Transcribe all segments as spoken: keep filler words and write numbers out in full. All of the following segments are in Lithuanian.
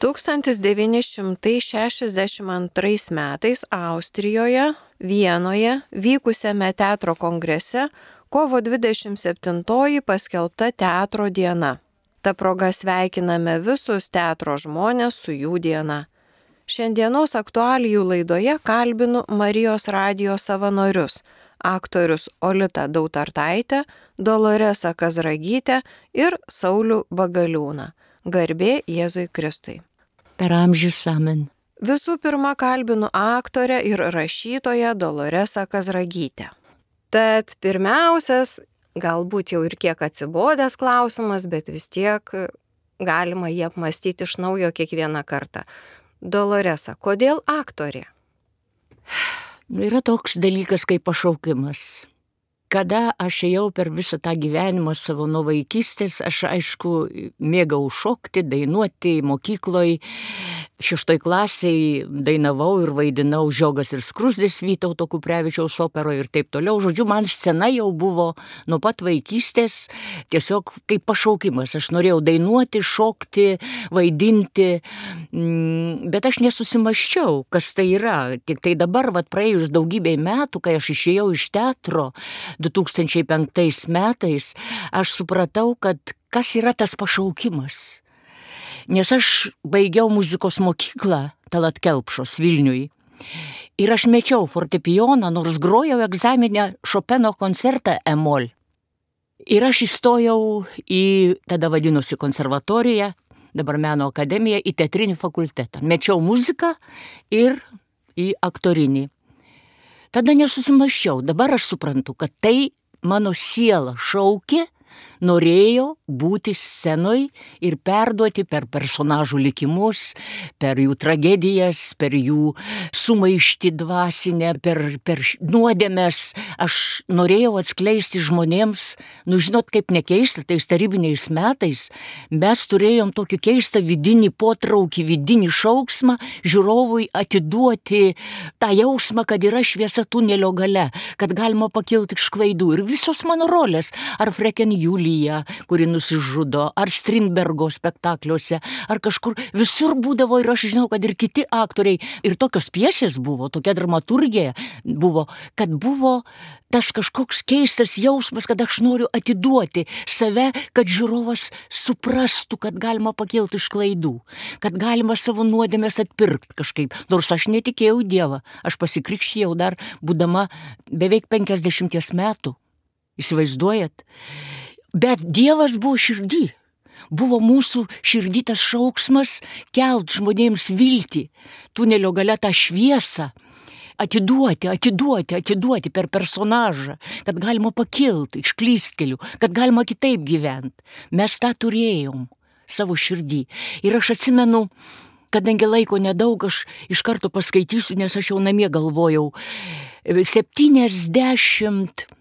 tūkstantis devyni šimtai šešiasdešimt antrais metais Austrijoje, Vienoje vykusiame teatro kongrese kovo dvidešimt septintoji paskelbta teatro diena. Ta proga sveikiname visus teatro žmonės su jų diena. Šiandienos aktualijų laidoje kalbinu Marijos radijo savanorius, aktorius Olitą Dautartaitę, Doloresą Kazragytę ir Saulių Bagaliūną. Garbė Jėzui Kristui. Per amžius amen. Visų pirma kalbinu aktorę ir rašytoją Doloresą Kazragytę. Tad pirmiausias, galbūt jau ir kiek atsibodęs klausimas, bet vis tiek galima jį apmastyti iš naujo kiekvieną kartą. Doloresa, kodėl aktorė? Yra toks dalykas kaip pašaukimas. Kada aš ėjau per visą tą gyvenimą savo nuo vaikystės, aš aišku mėgau šokti, dainuoti mokykloj. Šeštoj klasiai dainavau ir vaidinau Žiogas ir skruzdės Vytauto Kuprevičiaus operoje ir taip toliau. Žodžiu, man scena jau buvo nuo pat vaikystės tiesiog kaip pašaukimas. Aš norėjau dainuoti, šokti, vaidinti, bet aš nesusimąsčiau, kas tai yra. Tik tai dabar, vat, praėjus daugybei metų, kai aš išėjau iš teatro du tūkstančiai penktais metais, aš supratau, kad kas yra tas pašaukimas. Nes aš baigiau muzikos mokyklą Talat Kelpšos Vilniuj ir aš mečiau fortepijoną, nors grojau egzaminę Šopeno koncertą E-mol. Ir aš įstojau į, tada vadinosi konservatoriją, dabar meno akademiją, į teatrinį fakultetą. Mečiau muziką ir į aktorinį. Tada nesusimąsčiau, dabar aš suprantu, kad tai mano siela šaukė, norėjo būti scenoj ir perduoti per personažų likimus, per jų tragedijas, per jų sumaištį dvasinę, per, per nuodėmes. Aš norėjau atskleisti žmonėms, nu žinot, kaip nekeista, tais tarybiniais metais mes turėjom tokį keistą vidinį potraukį, vidinį šauksmą žiūrovui atiduoti tą jausmą, kad yra šviesa tunelio gale, kad galima pakilti iš klaidų. Ir visos mano rolės, ar Freken Julija, kuri nusižudo, ar Strindbergo spektakliuose, ar kažkur, visur būdavo ir aš žinau, kad ir kiti aktoriai, ir tokios piesės buvo, tokia dramaturgija buvo, kad buvo tas kažkoks keistas jausmas, kad aš noriu atiduoti save, kad žiūrovas suprastų, kad galima pakilti iš klaidų, kad galima savo nuodėmes atpirkti kažkaip, nors aš netikėjau Dievą, aš pasikrikštijau dar būdama beveik penkiasdešimties metų, įsivaizduojat? Bet Dievas buvo širdį, buvo mūsų širdį tas šauksmas kelt žmonėms viltį, tunelio gale tą šviesą, atiduoti, atiduoti, atiduoti per personažą, kad galima pakilti iš klystkelių, kad galima kitaip gyventi. Mes tą turėjom savo širdį. Ir aš atsimenu, kadangi laiko nedaug, aš iš karto paskaitysiu, nes aš jau namie galvojau, septyniasdešimt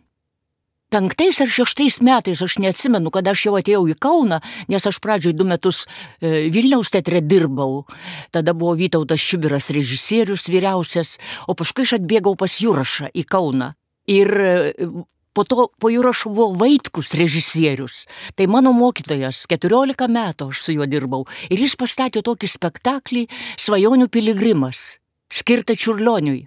penktais ar šeštais metais, aš neatsimenu, kad aš jau atėjau į Kauną, nes aš pradžioj du metus Vilniaus teatre dirbau. Tada buvo Vytautas Čiubiras režisierius vyriausias, o paskui aš atbėgau pas Jurašą į Kauną. Ir po to po Jurašo buvo Vaitkus režisierius. Tai mano mokytojas, keturiolika metų aš su juo dirbau. Ir jis pastatė tokį spektaklį Svajonių piligrimas, skirtą Čiurlioniui.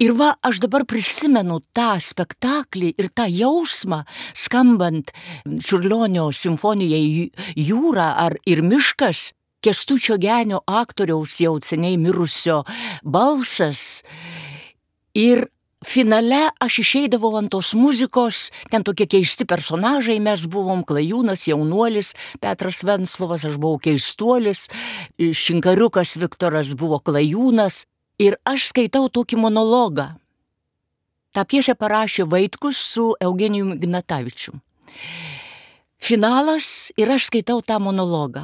Ir va, aš dabar prisimenu tą spektaklį ir tą jausmą, skambant Čiurlionio simfonijai Jūra ar ir miškas, Kęstučio Genio aktoriaus jau seniai mirusio balsas. Ir finale aš išeidavau ant tos muzikos, ten tokie keisti personažai, mes buvom Klajūnas, jaunuolis, Petras Venclovas, aš buvau keistuolis, Šinkariukas Viktoras buvo Klajūnas. Ir aš skaitau tokį monologą. Ta piesę parašė Vaitkus su Eugenijumi Ignatavičium. Finalas ir aš skaitau tą monologą.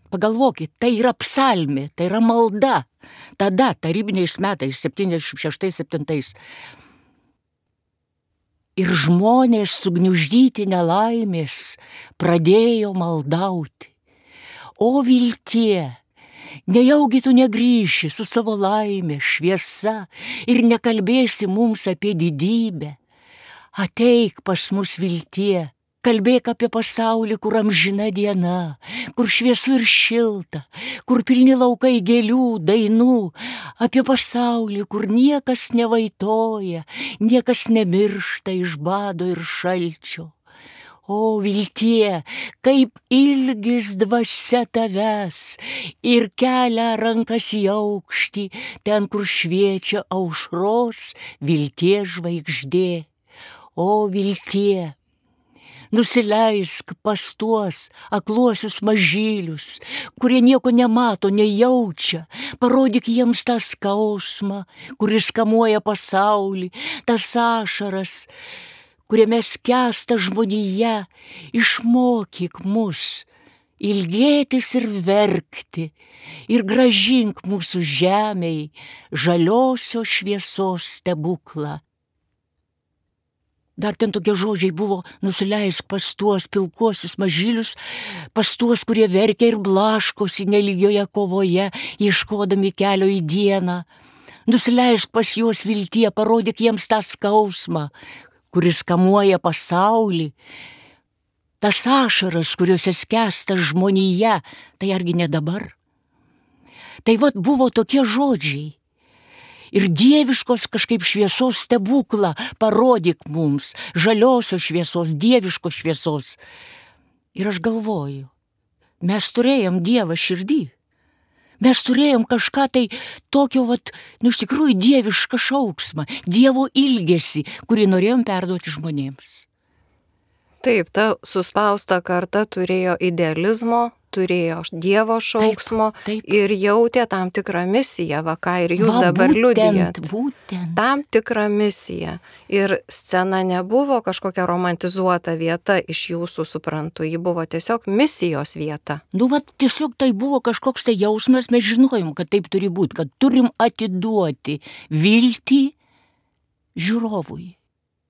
Pagalvokit, tai yra psalmė, tai yra malda. Tada, tarybiniais metais, septyniasdešimt šeštais septintais. Ir žmonės sugniuždyti nelaimės pradėjo maldauti. O viltie, nejaugi tu negrįši su savo laimė, šviesa ir nekalbėsi mums apie didybę. Ateik pas mus viltie, Kalbėk apie pasaulį, kur amžina diena, kur šviesu ir šilta, kur pilni laukai gėlių, dainų, apie pasaulį, kur niekas nevaitoja, niekas nemiršta iš bado ir šalčio. O viltie, kaip ilgis dvasia tavęs ir kelia rankas į aukštį, ten, kur šviečia aušros vilties žvaigždė. O viltie, nusileisk pas tuos akluosius mažylius, kurie nieko nemato, nejaučia, parodyk jiems tą skausmą, kuris kamuoja pasaulį, tas ašaras, kuriame skęsta žmonija, išmokyk mus ilgėtis ir verkti ir gražink mūsų žemei žaliosios šviesos stebuklą. Dar ten tokie žodžiai buvo: nusileisk pas tuos pilkuosius mažylius, pas tuos, kurie verkia ir blaškosi nelygioje kovoje, ieškodami kelio į dieną. Nusileisk pas juos viltie, parodyk jiems tą skausmą, kuris kamuoja pasaulį, tas ašaras, kuriuose skęsta žmonija, tai argi ne dabar? Tai vat buvo tokie žodžiai. Ir dieviškos kažkaip šviesos stebuklą parodyk mums, žaliosios šviesos, dieviškos šviesos. Ir aš galvoju, mes turėjom Dievą širdį. Mes turėjom kažką tai tokio, vat, nu iš tikrųjų dievišką šauksmą, Dievo ilgesį, kurį norėjom perduoti žmonėms. Taip, ta suspausta karta turėjo idealizmo, turėjo Dievo šauksmo, taip, taip. Ir jautė tam tikrą misiją, va ką ir jūs va, dabar būtent, liudijat. Būtent. Tam tikrą misiją. Ir scena nebuvo kažkokia romantizuota vieta iš jūsų, suprantu, ji buvo tiesiog misijos vieta. Nu, va, tiesiog tai buvo kažkoks tai jausmas, mes žinojom, kad taip turi būti, kad turim atiduoti viltį žiūrovui.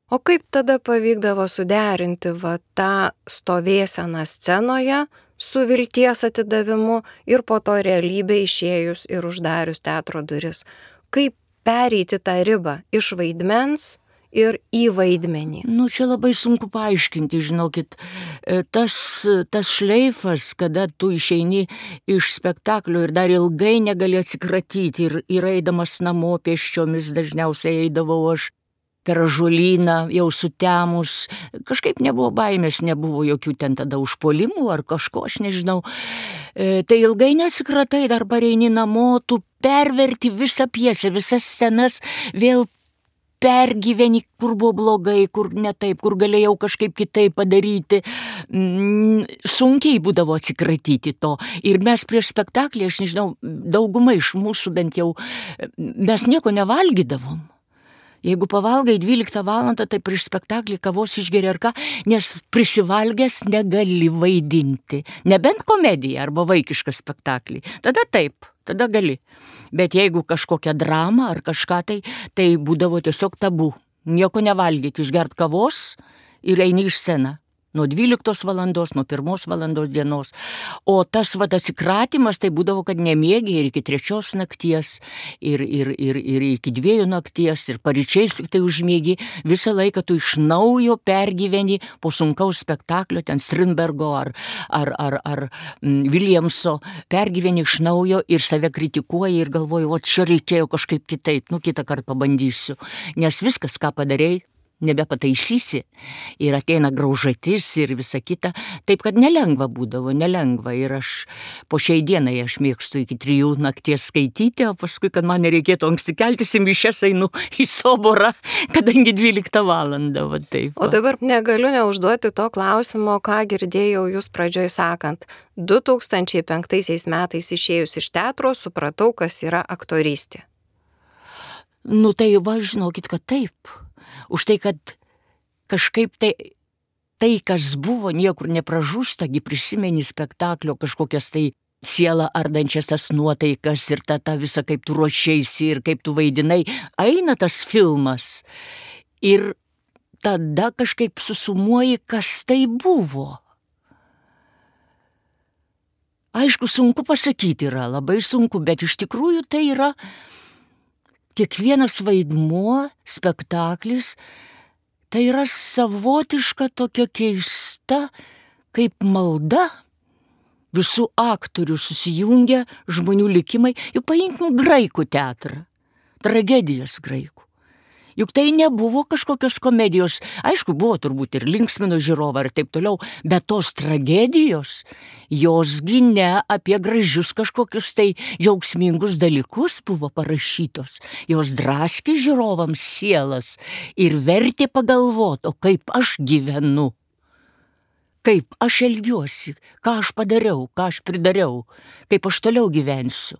O kaip tada pavykdavo suderinti va tą stovėseną scenoje su vilties atidavimu ir po to realybė išėjus ir uždarius teatro duris? Kaip pereiti tą ribą iš vaidmens ir į vaidmenį? Nu, čia labai sunku paaiškinti, žinokit. Tas, tas šleifas, kada tu išeini iš spektaklio ir dar ilgai negali atsikratyti ir, ir eidamas namo pėsčiomis, dažniausiai eidavau aš per ąžuolyną, jau sutemus, kažkaip nebuvo baimės, nebuvo jokių ten tada užpuolimų ar kažko, aš nežinau. E, tai ilgai nesikratai, dar pareini namo, tu perverti visą pjesę, visas scenas, vėl pergyveni, kur buvo blogai, kur ne taip, kur galėjau kažkaip kitaip padaryti. Mm, sunkiai būdavo atsikratyti to. Ir mes prieš spektaklį, aš nežinau, dauguma iš mūsų bent jau, mes nieko nevalgydavom. Jeigu pavalgai dvyliktą valandą, tai prieš spektaklį kavos išgeri ar ką, nes prisivalgęs negali vaidinti. Nebent komediją arba vaikišką spektaklį. Tada taip, tada gali. Bet jeigu kažkokią dramą ar kažką, tai, tai būdavo tiesiog tabu. Nieko nevalgyti, išgert kavos ir eini iš sceną. Nuo dvyliktos valandos, nuo pirmos valandos dienos. O tas vat atsikratymas, tai būdavo, kad nemiegi ir iki trečios nakties, ir, ir, ir, ir iki dviejų nakties, ir paryčiais tai užmiegi. Visą laiką tu iš naujo pergyveni po sunkaus spektaklio, ten Strindbergo ar, ar, ar, ar mm, Williamso, pergyveni iš naujo ir save kritikuoji ir galvoji, o čia reikėjo kažkaip kitaip, nu kitą kartą pabandysiu. Nes viskas, ką padarei, nebepataisysi ir ateina graužatis ir visa kita, taip kad nelengva būdavo, nelengva ir aš po šiai dienai aš mėgstu iki trijų nakties skaityti, o paskui, kad man nereikėtų anksti keltis į mišias, einu į soborą, kadangi dvyliktą valandą, va taip. Va. O dabar negaliu neužduoti to klausimo, ką girdėjau jūs pradžioj sakant. du tūkstančiai penktaisiais metais išėjus iš teatro, supratau, kas yra aktorystė. Nu tai va, žinokit, kad taip. Už tai, kad kažkaip tai, tai kas buvo, niekur nepražūsta, gi prisimeni spektaklio kažkokias tai sielą ardančias tas nuotaikas ir tą, tą visą, kaip tu ruošeisi ir kaip tu vaidinai, eina tas filmas. Ir tada kažkaip susumuoji, kas tai buvo. Aišku, sunku pasakyti yra, labai sunku, bet iš tikrųjų tai yra kiekvienas vaidmuo, spektaklis, tai yra savotiška tokia keista, kaip malda. Visų aktorių susijungia žmonių likimai. Juk paimkim graikų teatrą, tragedijas graikų. Juk tai nebuvo kažkokios komedijos. Aišku, buvo turbūt ir linksmino žiūrovą ir taip toliau, bet tos tragedijos, josgi ne apie gražius kažkokius tai džiaugsmingus dalykus buvo parašytos. Jos draskė žiūrovams sielas ir vertė pagalvoti, o kaip aš gyvenu, kaip aš elgiuosi, ką aš padariau, ką aš pridariau, kaip aš toliau gyvensiu.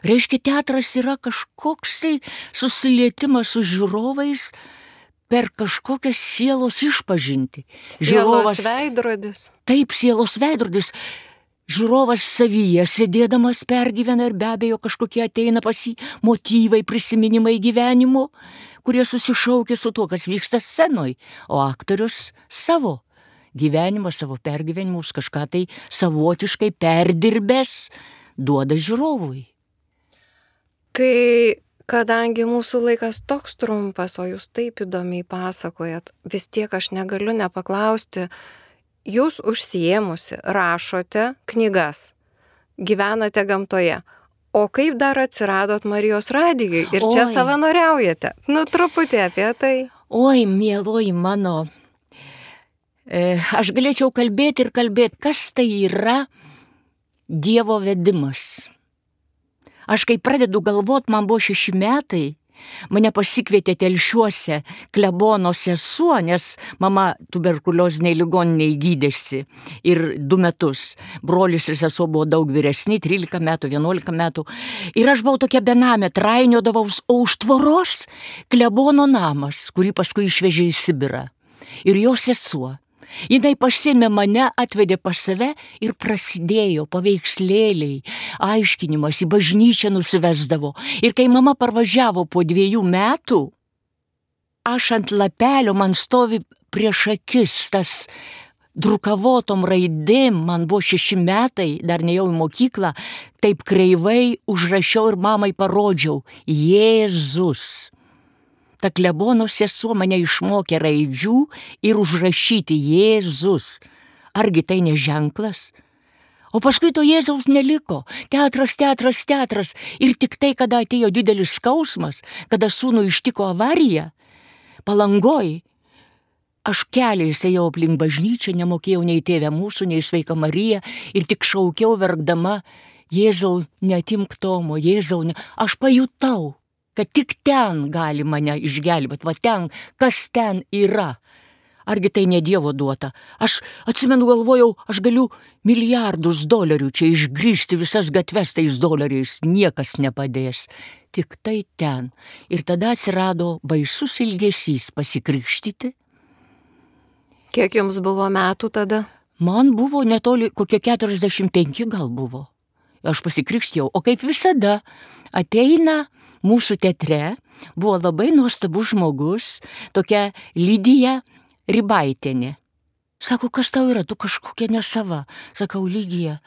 Reiškia, teatras yra kažkoks tai susilietimas su žiūrovais per kažkokią sielos išpažintį. Sielos veidrodis. Taip, sielos veidrodis. Žiūrovas savyje sėdėdamas pergyvena ir be abejo kažkokie ateina pas jį motyvai, prisiminimai gyvenimo, kurie susišaukia su tuo, kas vyksta scenoj, o aktorius savo gyvenimą, savo pergyvenimus, kažką tai savotiškai perdirbęs duoda žiūrovui. Tai kadangi mūsų laikas toks trumpas, o jūs taip įdomiai pasakojat, vis tiek aš negaliu nepaklausti, jūs užsiėmusi, rašote knygas, gyvenate gamtoje, o kaip dar atsiradot Marijos radijui ir čia Oi. Savanoriaujate? Nu, truputį apie tai. Oi, mieloji mano, e, aš galėčiau kalbėti ir kalbėti, kas tai yra Dievo vedimas. Aš kai pradedu galvot, man buvo šeši metai, mane pasikvietė Telšiuose klebono sesuo, nes mama tuberkulioziniai ligoniniai gydėsi ir du metus. Brolis ir sesuo buvo daug vyresni, trylika metų, vienuolika metų. Ir aš buvau tokia benamė, trainiodavaus, o už tvoros klebono namas, kurį paskui išvežė į Sibirą. Ir jo sesuo. Jinai pasėmė mane, atvedė pas save ir prasidėjo paveikslėliai, aiškinimas, į bažnyčią nusivesdavo. Ir kai mama parvažiavo po dviejų metų, aš ant lapelio, man stovi prieš akis tas drukavotom raidėm, man buvo šeši metai, dar nejau į mokyklą, taip kreivai užrašiau ir mamai parodžiau – Jėzus. Ta klebono sesuo mane išmokė raidžių ir užrašyti Jėzus. Argi tai ne ženklas? O paskui to Jėzaus neliko. Teatras, teatras, teatras. Ir tik tai, kada atėjo didelis skausmas, kada sūnų ištiko avarija, Palangoj, aš keliais ėjau aplink bažnyčią, nemokėjau nei Tėvę mūsų, nei Sveiką Mariją ir tik šaukiau verkdama, Jėzau, neatimk Tomo, Jėzau, ne... Aš pajutau, kad tik ten gali mane išgelbėti, va ten, kas ten yra. Argi tai ne Dievo duota? Aš atsimenu, galvojau, aš galiu milijardus dolerių čia išgrįsti visas gatves tais doleriais, niekas nepadės. Tik tai ten. Ir tada atsirado baisus ilgesys pasikrikštyti. Kiek jums buvo metų tada? Man buvo netoli, kokie keturiasdešimt penki gal buvo. Aš pasikrikštėjau, o kaip visada ateina mūsų teatre, buvo labai nuostabus žmogus, tokia Lidija Rybaitienė. Sako, kas tau yra, tu kažkokia nesava. Sakau, Lidija.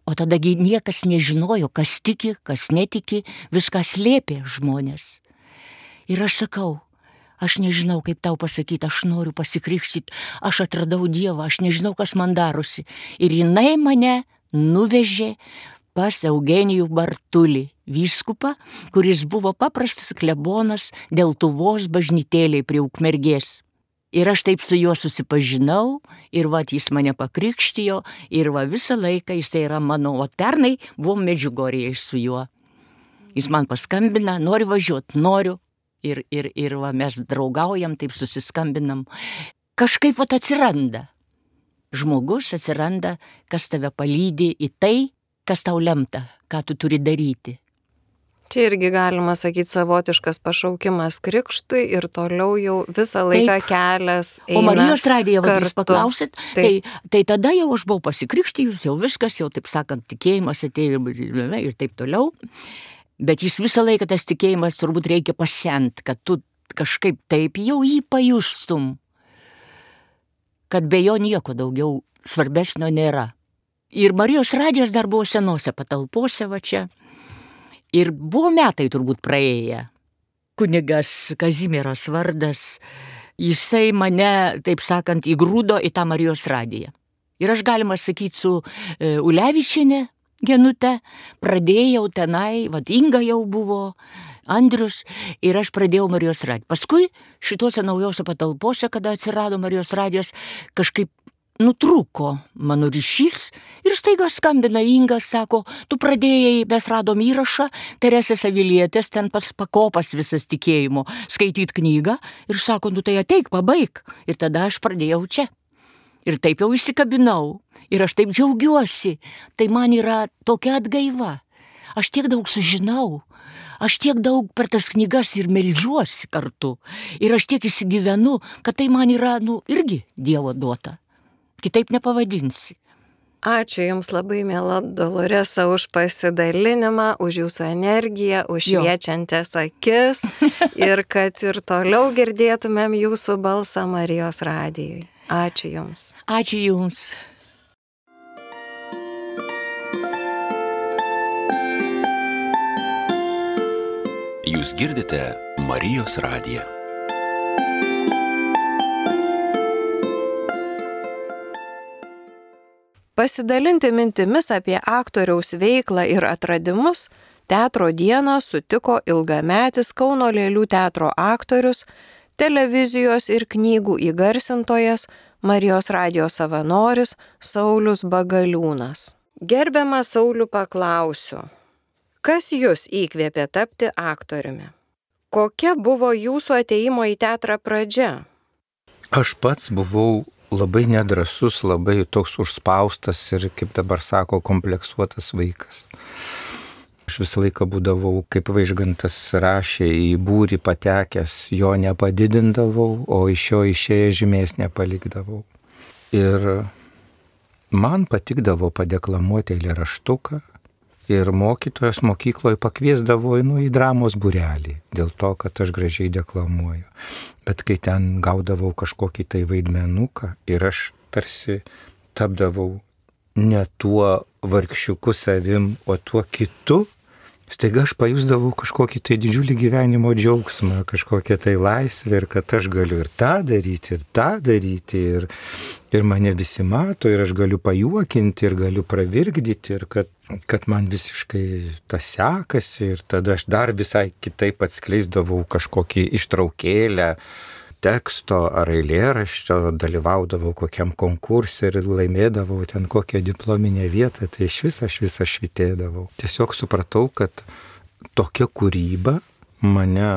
O tadagi niekas nežinojo, kas tiki, kas netiki, viską slėpė žmonės. Ir aš sakau, aš nežinau, kaip tau pasakyti, aš noriu pasikrikštyti, aš atradau Dievą, aš nežinau, kas man darosi. Ir jinai mane nuvežė pas Eugenijų Bartulį, vyskupą, kuris buvo paprastas klebonas Deltuvos bažnytėlėj prie Ukmergės. Ir aš taip su juo susipažinau, ir va, jis mane pakrikštijo, ir va, visą laiką jis yra mano, o pernai buvom Medžiugorėje su juo. Jis man paskambina, nori važiuoti, noriu, ir, ir, ir va, mes draugaujam, taip susiskambinam. Kažkaip va atsiranda. Žmogus atsiranda, kas tave palydi į tai, kas tau lemta, ką tu turi daryti. Čia irgi galima sakyti savotiškas pašaukimas krikštui ir toliau jau visą laiką Taip. Kelias eina. O Marijos radiją, va, jūs paklausit, tai, tai tada jau aš buvau pasikrikštijus, jau viskas, jau taip sakant, tikėjimas atėjo ir taip toliau. Bet jis visą laiką tas tikėjimas turbūt reikia pasent, kad tu kažkaip taip jau jį pajustum, kad be jo nieko daugiau svarbesnio nėra. Ir Marijos radijas dar buvo senose patalpose va čia. Ir buvo metai turbūt praėję. Kunigas Kazimieras Vardas, jisai mane, taip sakant, įgrūdo į tą Marijos radiją. Ir aš, galima sakyti, su e, Ulevičienė Genute pradėjau tenai, vat Inga jau buvo, Andrius, ir aš pradėjau Marijos radiją. Paskui šituose naujose patalpose, kada atsirado Marijos radijas, kažkaip nutrūko mano ryšys ir staiga skambina Inga, sako, tu pradėjai, mes radom įrašą, Teresės Avilietės, ten pas pakopas visas tikėjimo, skaityt knygą ir sako, nu tai ateik, pabaig. Ir tada aš pradėjau čia. Ir taip jau įsikabinau. Ir aš taip džiaugiuosi. Tai man yra tokia atgaiva. Aš tiek daug sužinau. Aš tiek daug per tas knygas ir meldžiuosi kartu. Ir aš tiek įsigyvenu, kad tai man yra, nu, irgi Dievo duota. Kitaip nepavadinsi. Ačiū Jums labai, miela Doloresa, už pasidalinimą, už Jūsų energiją, už šviečiančias akis ir kad ir toliau girdėtumėm Jūsų balsą Marijos radijui. Ačiū Jums. Ačiū Jums. Jūs girdite Marijos radiją. Pasidalinti mintimis apie aktoriaus veiklą ir atradimus teatro dieną sutiko ilgametis Kauno Lėlių teatro aktorius, televizijos ir knygų įgarsintojas, Marijos radijos savanoris Saulius Bagaliūnas. Gerbiamas Saulių, paklausiu, kas Jus įkvėpė tapti aktoriumi? Kokia buvo Jūsų atėjimo į teatrą pradžia? Aš pats buvau labai nedrąsus, labai toks užspaustas ir, kaip dabar sako, kompleksuotas vaikas. Aš visą laiką būdavau, kaip Vaižgantas rašė, į būrį patekęs, jo nepadidindavau, o iš jo išėję žymės nepalikdavau. Ir man patikdavo padeklamuoti eilėraštuką ir mokytojas mokykloje pakviesdavo nu, į dramos būrelį, dėl to, kad aš gražiai deklamuoju. Bet kai ten gaudavau kažkokį tai vaidmenuką ir aš tarsi tapdavau ne tuo vargšiuku savim, o tuo kitu, staiga aš pajusdavau kažkokį tai didžiulį gyvenimo džiaugsmą, kažkokią tai laisvę ir kad aš galiu ir tą daryti, ir tą daryti, ir, ir mane visi mato, ir aš galiu pajuokinti, ir galiu pravirkdyti, ir kad, kad man visiškai tas sekasi, ir tada aš dar visai kitaip atskleisdavau kažkokį ištraukėlę teksto ar eilėraščio, dalyvaudavau kokiam konkursui ir laimėdavau ten kokią diplominę vietą, tai iš vis aš visą švitėdavau. Tiesiog supratau, kad tokia kūryba mane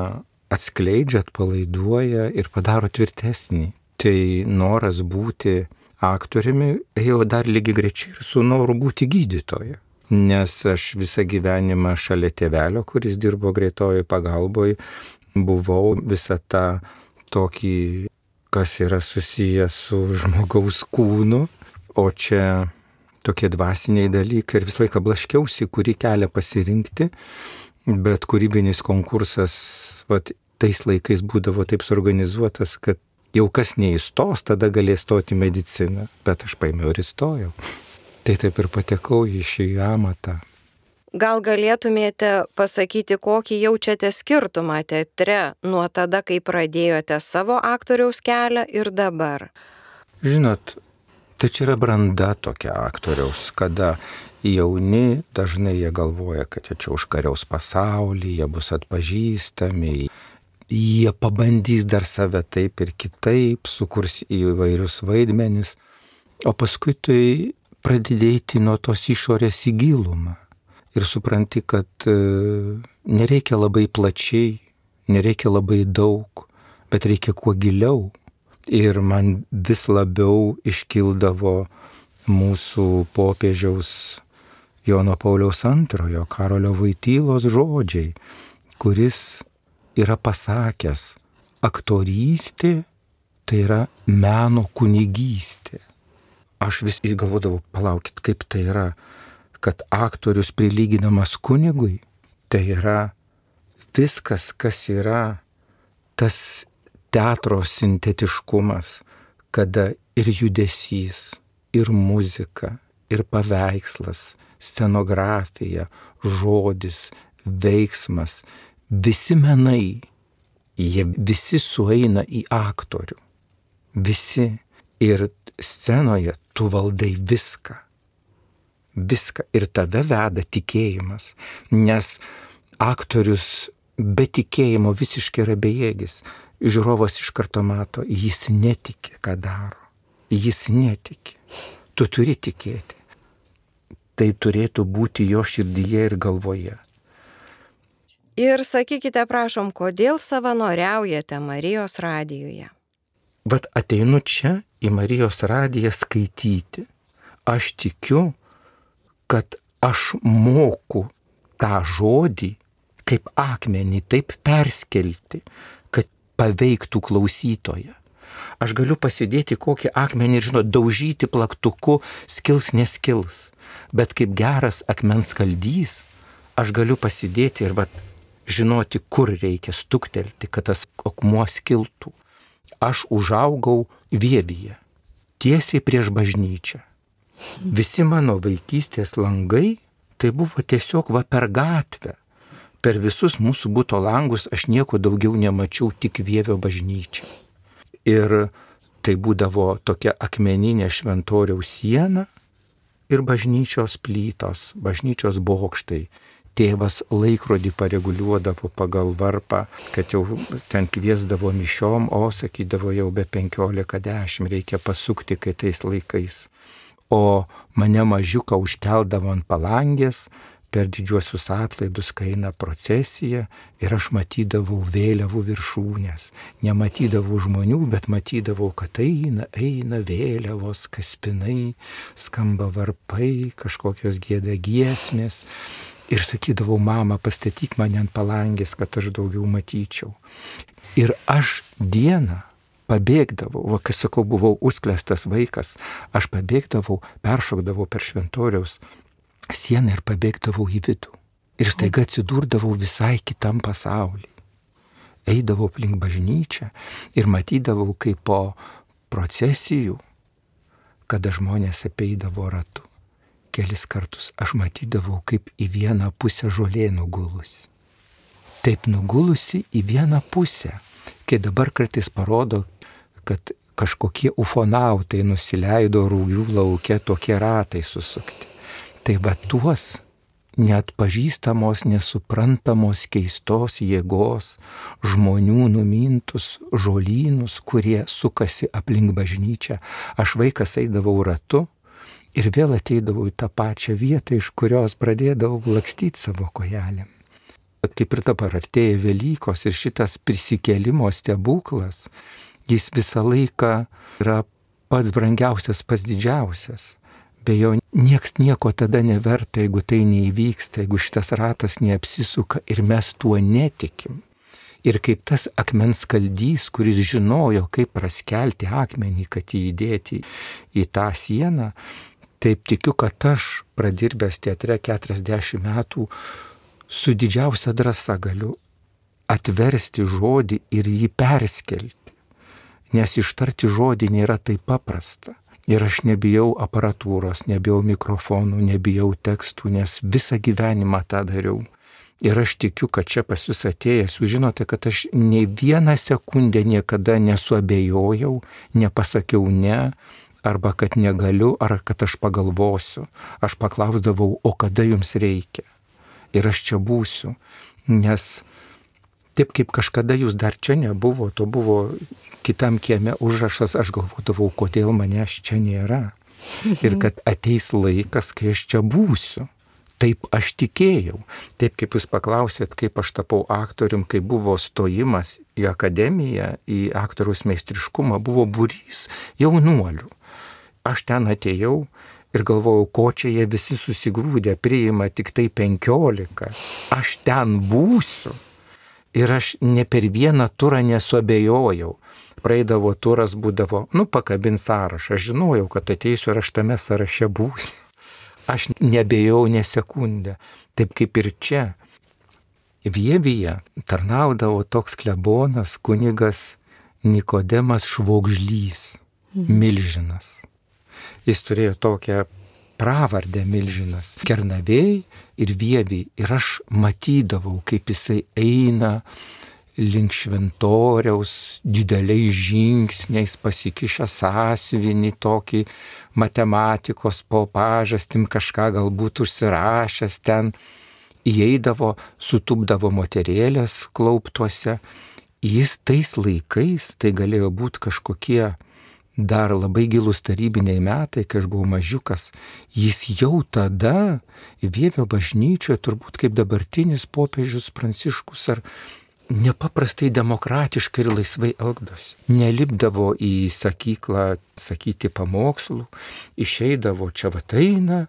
atskleidžia, atpalaiduoja ir padaro tvirtesnį. Tai noras būti aktoriumi ėjo dar lygiai grečiai ir su noru būti gydytoja. Nes aš visą gyvenimą šalia tėvelio, kuris dirbo greitojoje pagalboje, buvau visą tą tokį, kas yra susijęs su žmogaus kūnu, o čia tokie dvasiniai dalykai ir visą laiką blaškiausi, kurį kelią pasirinkti, bet kūrybinis konkursas vat, tais laikais būdavo taip suorganizuotas, kad jau kas neįstos, tada galės stoti mediciną, bet aš paėmiau ir įstojau. Tai taip ir patekau į šį amatą. Gal galėtumėte pasakyti, kokį jaučiate skirtumą teatre nuo tada, kai pradėjote savo aktoriaus kelią ir dabar? Žinot, tai čia yra branda tokia aktoriaus, kada jauni dažnai jie galvoja, kad jie čia užkariaus pasaulį, jie bus atpažįstami, jie pabandys dar save taip ir kitaip, sukurs įvairius vaidmenis, o paskui tai pradėti nuo tos išorės į gilumą. Ir supranti, kad e, nereikia labai plačiai, nereikia labai daug, bet reikia kuo giliau. Ir man vis labiau iškildavo mūsų popiežiaus Jono Pauliaus antrojo Karolio Voitylos žodžiai, kuris yra pasakęs, aktorystė tai yra meno kunigystė. Aš vis galvodavau, palaukit, kaip tai yra, kad aktorius prilyginamas kunigui, tai yra viskas, kas yra tas teatro sintetiškumas, kada ir judesys, ir muzika, ir paveikslas, scenografija, žodis, veiksmas, visi menai jie visi sueina į aktorių. Visi. Ir scenoje tu valdai viską. Viską. Ir tave veda tikėjimas. Nes aktorius be tikėjimo visiškai yra bejėgis. Žiūrovas iš karto mato, jis netiki, ką daro. Jis netiki. Tu turi tikėti. Tai turėtų būti jo širdyje ir galvoje. Ir sakykite, prašom, kodėl savanoriaujate Marijos radijuje? Vat ateinu čia į Marijos radiją skaityti. Aš tikiu, kad aš moku tą žodį kaip akmenį taip perskelti, kad paveiktų klausytoją. Aš galiu pasidėti kokį akmenį ir, žinot, daužyti plaktuku, skils neskils. Bet kaip geras akmens skaldys, aš galiu pasidėti ir vat, žinoti, kur reikia stuktelti, kad tas akmuo skiltų. Aš užaugau Vievyje, tiesiai prieš bažnyčią. Visi mano vaikystės langai, tai buvo tiesiog va per gatvę. Per visus mūsų buto langus aš nieko daugiau nemačiau, tik Vievio bažnyčią. Ir tai būdavo tokia akmeninė šventoriaus siena ir bažnyčios plytos, bažnyčios bokštai. Tėvas laikrodį pareguliuodavo pagal varpą, kad jau ten kviesdavo mišiom, o sakydavo jau be penkiolika dešimt reikia pasukti, kai tais laikais. O mane mažiuką užkeldavo ant palangės per didžiuosius atlaidus, kai eina procesija ir aš matydavau vėliavų viršūnės. Nematydavau žmonių, bet matydavau, kad eina, eina vėliavos, kaspinai, skamba varpai, kažkokios gieda giesmės. Ir sakydavau, mama, pastatyk mane ant palangės, kad aš daugiau matyčiau. Ir aš dieną pabėgdavau, va, kai sakau, buvau užsklęstas vaikas, aš pabėgdavau, peršokdavau per šventoriaus sieną ir pabėgdavau į vidų. Ir staiga atsidurdavau visai kitam pasaulyje. Eidavau aplink bažnyčią ir matydavau, kaip po procesijų, kada žmonės apeidavo ratu. Kelis kartus aš matydavau, kaip į vieną pusę žolė nugulusi. Taip nugulusi į vieną pusę, kai dabar kartais parodo, kad kažkokie ufonautai nusileido Rūgių lauke, tokie ratai susukti. Tai va tuos neatpažįstamos, nesuprantamos keistos jėgos žmonių numintus žolynus, kurie sukasi aplink bažnyčią. Aš vaikas eidavau ratu, ir vėl ateidavau į tą pačią vietą, iš kurios pradėdavau lakstyti savo kojelėm. Bet kaip ir dabar artėja Velykos ir šitas prisikėlimo stebuklas, jis visą laiką yra pats brangiausias, pats didžiausias. Be jo nieks nieko tada neverta, jeigu tai neįvyksta, jeigu šitas ratas neapsisuka ir mes tuo netikim. Ir kaip tas akmens skaldys, kuris žinojo, kaip praskelti akmenį, kad jį įdėti į tą sieną, taip tikiu, kad aš, pradirbęs teatre keturiasdešimt metų, su didžiausia drąsa galiu atversti žodį ir jį perskelti. Nes ištarti žodį nėra taip paprasta. Ir aš nebijau aparatūros, nebijau mikrofonų, nebijau tekstų, nes visą gyvenimą tą dariau. Ir aš tikiu, kad čia pas jūs atėjęs, jūs žinote, kad aš nei vieną sekundę niekada nesuabejojau, nepasakiau ne, arba kad negaliu, ar kad aš pagalvosiu. Aš paklausdavau, o kada jums reikia. Ir aš čia būsiu, nes taip kaip kažkada jūs dar čia nebuvo, to buvo kitam kieme užrašas, aš galvodavau, kodėl manęs čia nėra. Ir kad ateis laikas, kai aš čia būsiu. Taip aš tikėjau. Taip kaip jūs paklausėt, kaip aš tapau aktorium, kai buvo stojimas į akademiją, į aktoriaus meistriškumą, buvo būrys jaunuolių. Aš ten atėjau ir galvojau, ko čia jie visi susigrūdė, priima tik tai penkiolika. Aš ten būsiu. Ir aš ne per vieną turą nesuabejojau. Praeidavo turas, būdavo, nu, pakabin sąrašą. Aš žinojau, kad ateisiu ir aš tame sąraše būsiu. Aš nebejau ne sekundę. Taip kaip ir čia. Vievyje tarnaudavo toks klebonas, kunigas Nikodemas Švogžlys, milžinas. Jis turėjo tokią pravardę milžinas. Kernavėj ir Vievyj. Ir aš matydavau, kaip jisai eina link šventoriaus dideliais žingsniais pasikišę sąsiuvinį tokį matematikos po pažastim kažką galbūt užsirašęs ten, įeidavo, sutupdavo moterėlės klauptuose. Jis tais laikais, tai galėjo būti kažkokie dar labai gilūs tarybiniai metai, kai aš buvau mažiukas, jis jau tada Vievio bažnyčioje, turbūt kaip dabartinis popiežius Pranciškus, ar nepaprastai demokratiškai ir laisvai elgdosi. Nelipdavo į sakyklą sakyti pamokslų, išeidavo čia vataina,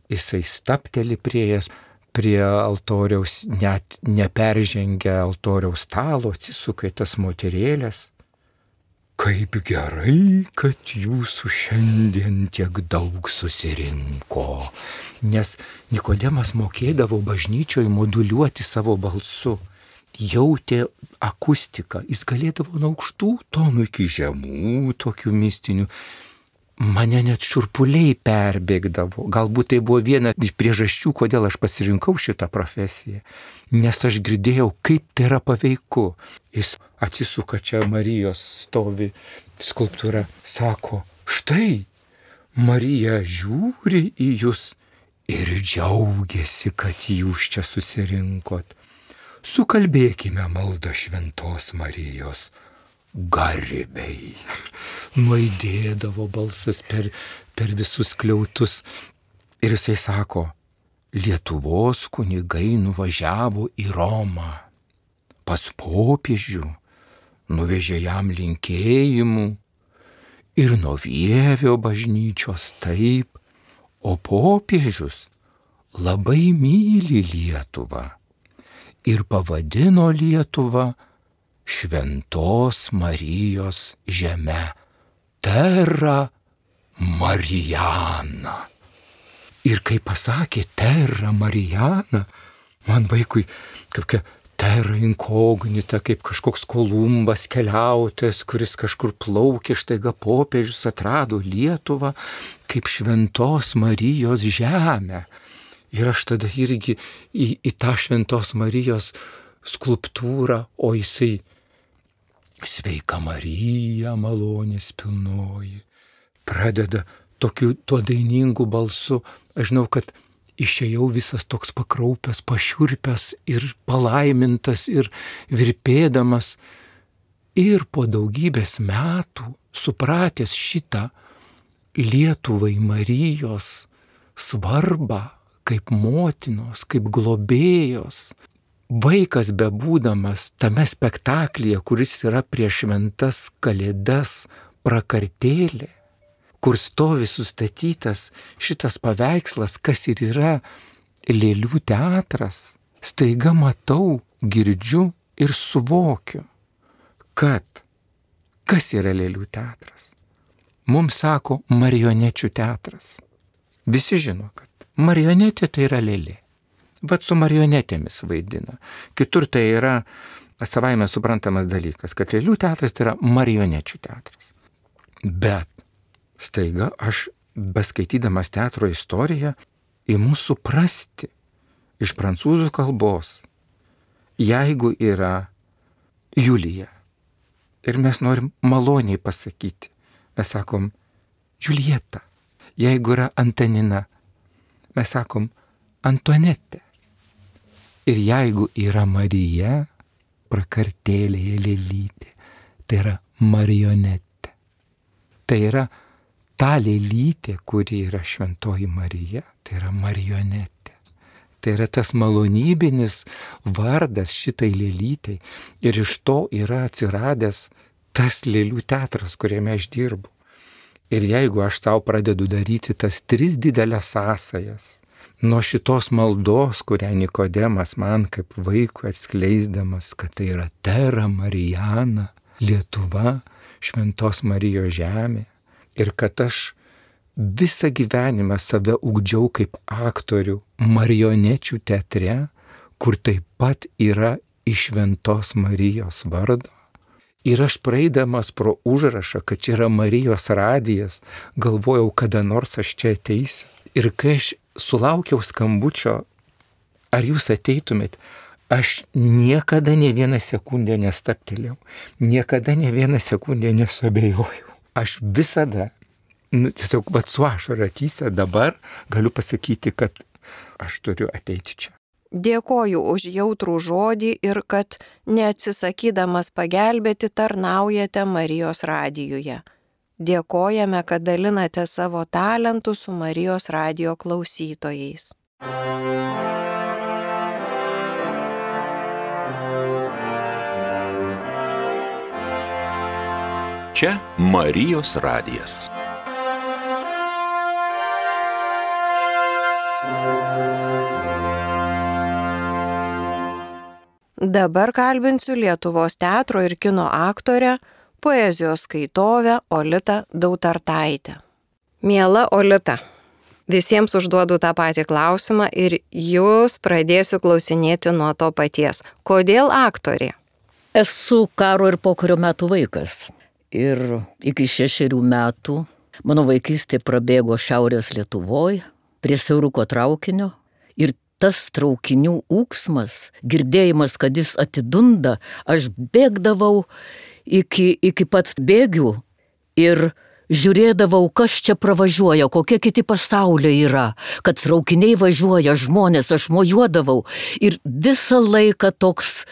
jisai stapteli prieėjęs prie altoriaus, net neperžengia altoriaus stalo, atsisuka į tas moterėlės. Kaip gerai, kad jūsų šiandien tiek daug susirinko, nes Nikodemas mokėdavo bažnyčioje moduliuoti savo balsu. Jautė akustiką, jis galėdavo nuo aukštų tonų iki žemų, tokių mistinių. Mane net šiurpuliai perbėgdavo. Galbūt tai buvo viena iš priežasčių, kodėl aš pasirinkau šitą profesiją. Nes aš girdėjau, kaip tai yra paveiku. Jis atsisuka, čia Marijos stovi skulptūra, sako, štai, Marija žiūri į jūs ir džiaugiasi, kad jūs čia susirinkot. Sukalbėkime maldą šventos Marijos garbei. Nuaidėdavo balsas per, per visus skliautus. Ir jisai sako, Lietuvos kunigai nuvažiavo į Romą. Pas popiežių nuvežė jam linkėjimų. Ir nuo Vievio bažnyčios taip. O popiežius labai myli Lietuvą. Ir pavadino Lietuvą Šventos Marijos žeme, Terra Marijana. Ir kai pasakė Terra Marijana, man vaikui kaip terra inkognita, kaip kažkoks Kolumbas keliautojas, kuris kažkur plaukė, štaiga popiežius atrado Lietuvą kaip Šventos Marijos žemę. Ir aš tada irgi į, į tą Šventos Marijos skulptūrą, o jisai Sveika Marija, malonės pilnoji, pradeda tokiu tuo dainingu balsu. Aš žinau, kad išėjau visas toks pakraupęs, pašiurpęs ir palaimintas ir virpėdamas. Ir po daugybės metų, supratęs šitą Lietuvai Marijos svarbą, kaip motinos, kaip globėjos, vaikas bebūdamas tame spektaklyje, kuris yra prieš šventas kalėdas prakartėlė, kur stovi sustatytas šitas paveikslas, kas ir yra lėlių teatras, staiga matau, girdžiu ir suvokiu, kad kas yra lėlių teatras. Mums sako marionečių teatras. Visi žino, kad marionetė tai yra lėlė. Bet su marionetėmis vaidina. Kitur tai yra savaime suprantamas dalykas, kad lėlių teatras tai yra marionečių teatras. Bet staiga aš, beskaitydamas teatro istoriją, imu suprasti iš prancūzų kalbos, jeigu yra Julija ir mes norim maloniai pasakyti, mes sakom Julieta. Jeigu yra Antanina, mes sakom Antonetė. Ir jeigu yra Marija, prakartėlėje lėlytė, tai yra marionetė. Tai yra ta lėlytė, kuri yra Šventoji Marija, tai yra marionetė. Tai yra tas malonybinis vardas šitai lėlytei. Ir iš to yra atsiradęs tas lėlių teatras, kuriame aš dirbu. Ir jeigu aš tau pradedu daryti tas tris didelės sąsajas, nuo šitos maldos, kurią Nikodemas man kaip vaikui atskleisdamas, kad tai yra Terra Marijana, Lietuva, Šventos Marijos žemė, ir kad aš visą gyvenimą save ugdžiau kaip aktorių marionečių teatre, kur taip pat yra iš Šventos Marijos vardo. Ir aš praeidamas pro užrašą, kad čia yra Marijos radijas, galvojau, kada nors aš čia ateisiu. Ir kai aš sulaukiau skambučio, ar jūs ateitumėt, aš niekada ne vieną sekundę nestaptelėjau, niekada ne vieną sekundę nesuabejojau. Aš visada, nu, tiesiog vat su ašara akyse dabar galiu pasakyti, kad aš turiu ateiti čia. Dėkoju už jautrų žodį ir kad neatsisakydamas pagelbėti tarnaujate Marijos radijuje. Dėkojame, kad dalinate savo talentų su Marijos radijo klausytojais. Čia Marijos radijas. Dabar kalbinsiu Lietuvos teatro ir kino aktorę, poezijos skaitovę Olitą Dautartaitę. Miela Olita, visiems užduodu tą patį klausimą ir jūs pradėsiu klausinėti nuo to paties. Kodėl aktorė? Esu karo ir pokario metų vaikas. Ir iki šešerių metų mano vaikystė prabėgo Šiaurės Lietuvoje, prie siauruko traukinio. Ir tas traukinių ūksmas, girdėjimas, kad jis atidunda, aš bėgdavau iki, iki pat bėgių ir žiūrėdavau, kas čia pravažiuoja, kokie kiti pasauliai yra, kad traukiniai važiuoja, žmonės, aš mojuodavau. Ir visą laiką toks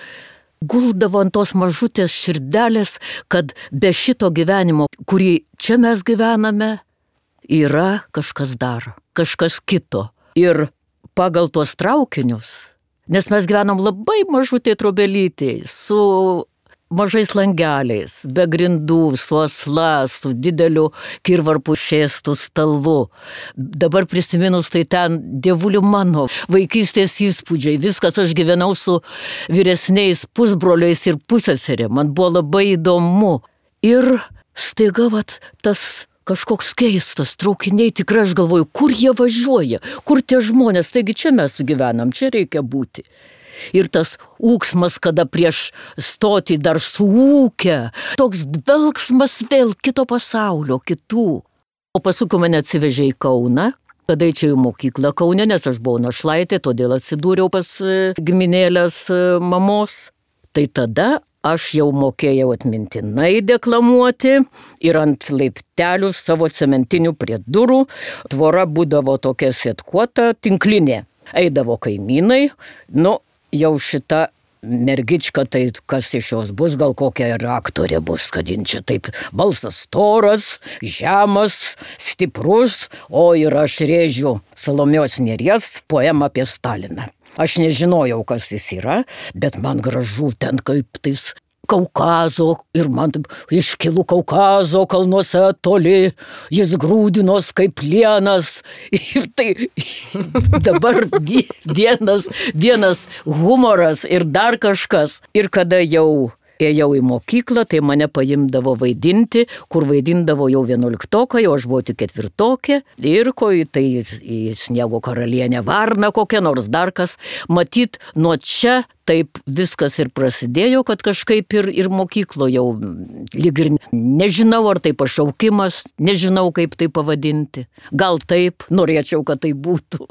guldavo ant tos mažutės širdelės, kad be šito gyvenimo, kurį čia mes gyvename, yra kažkas dar, kažkas kito. Ir pagal tuos traukinius, nes mes gyvenam labai mažutė trobelytė, su mažais langeliais, be grindų, su asla, su dideliu kirvarpų šėstų stalu. Dabar prisiminus, tai ten, dievuliu mano, vaikystės įspūdžiai, viskas, aš gyvenau su vyresniais pusbroliais ir pusseserė, man buvo labai įdomu. Ir staiga vat tas kažkoks keistas traukiniai, tikrai aš galvoju, kur jie važiuoja, kur tie žmonės, taigi čia mes gyvenam, čia reikia būti. Ir tas ūksmas, kada prieš stotį dar suūkia, toks dvelksmas vėl kito pasaulio, kitų. O paskui mane atsivežė į Kauną, kada eičiau į mokyklą Kaune, nes aš buvau našlaitė, todėl atsidūriau pas giminėlės mamos. Tai tada aš jau mokėjau atmintinai deklamuoti ir ant laiptelių savo cementinių prie durų tvora būdavo tokia sėtkuota tinklinė. Eidavo kaimynai, nu, jau šita mergička, tai kas iš jos bus, gal kokia ir aktorė bus, kad jin čia taip balsas storas, žemas, stiprus, o ir aš rėžiu Salomėjos Nėries poemą apie Staliną. Aš nežinojau, kas jis yra, bet man gražu ten kaip tais Kaukazo, ir man taip iškilų Kaukazo kalnuose toli, jis grūdinos kaip plienas. Ir tai dabar vienas, vienas humoras ir dar kažkas. Ir kada jau ėjau į mokyklą, tai mane paimdavo vaidinti, kur vaidindavo jau vienuoliktokai, o aš buvau tik ketvirtokė. Ir ko į tai į Sniego karalienę Varną kokią nors dar kas. Matyt, nuo čia taip viskas ir prasidėjo, kad kažkaip ir, ir mokyklo jau lyg ir nežinau, ar tai pašaukimas, nežinau, kaip tai pavadinti. Gal taip, norėčiau, kad tai būtų.